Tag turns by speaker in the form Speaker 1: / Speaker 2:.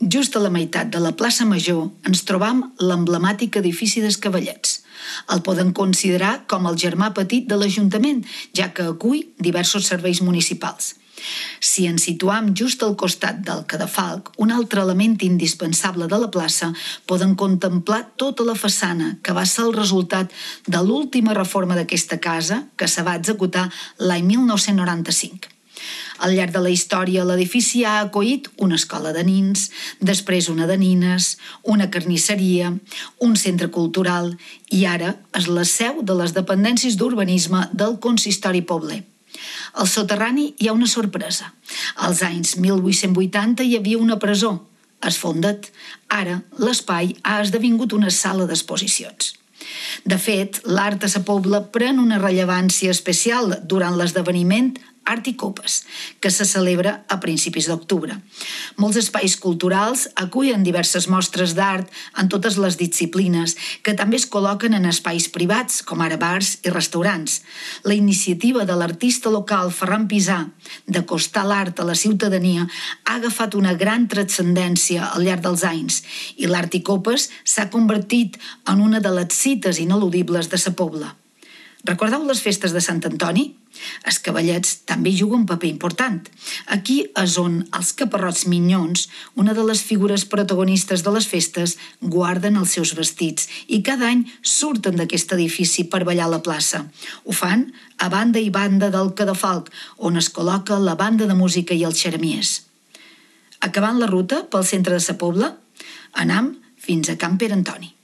Speaker 1: Just a la meitat de la plaça Major ens trobam l'emblemàtic edifici dels Cavallets. El poden considerar com el germà petit de l'Ajuntament, ja que acull diversos serveis municipals. Si ens situam just al costat del Cadafalc, un altre element indispensable de la plaça, poden contemplar tota la façana, que va ser el resultat de l'última reforma d'aquesta casa, que se va executar l'any 1995. Al llarg de la història, l'edifici ha acollit una escola de nins, després una de nines, una carnisseria, un centre cultural i ara és la seu de les dependències d'urbanisme del consistori pobler. Al soterrani hi ha una sorpresa. Als anys 1880 hi havia una presó. Es fondet. Ara, l'espai ha esdevingut una sala d'exposicions. De fet, l'art a sa Pobla pren una rellevància especial durant l'esdeveniment Art i Copes, que se celebra a principis d'octubre. Molts espais culturals acullen diverses mostres d'art en totes les disciplines, que també es col·loquen en espais privats, com ara bars i restaurants. La iniciativa de l'artista local Ferran Pisà d'acostar l'art a la ciutadania ha agafat una gran transcendència al llarg dels anys i l'Art i Copes s'ha convertit en una de les cites ineludibles de sa Pobla. Recordeu les festes de Sant Antoni? Els Cavallets també juguen un paper important. Aquí és on els caparrots minyons, una de les figures protagonistes de les festes, guarden els seus vestits i cada any surten d'aquest edifici per ballar a la plaça. Ho fan a banda i banda del Cadafalc, on es col·loca la banda de música i els xeremiers. Acabant la ruta pel centre de sa Pobla, anam fins a Can Pere Antoni.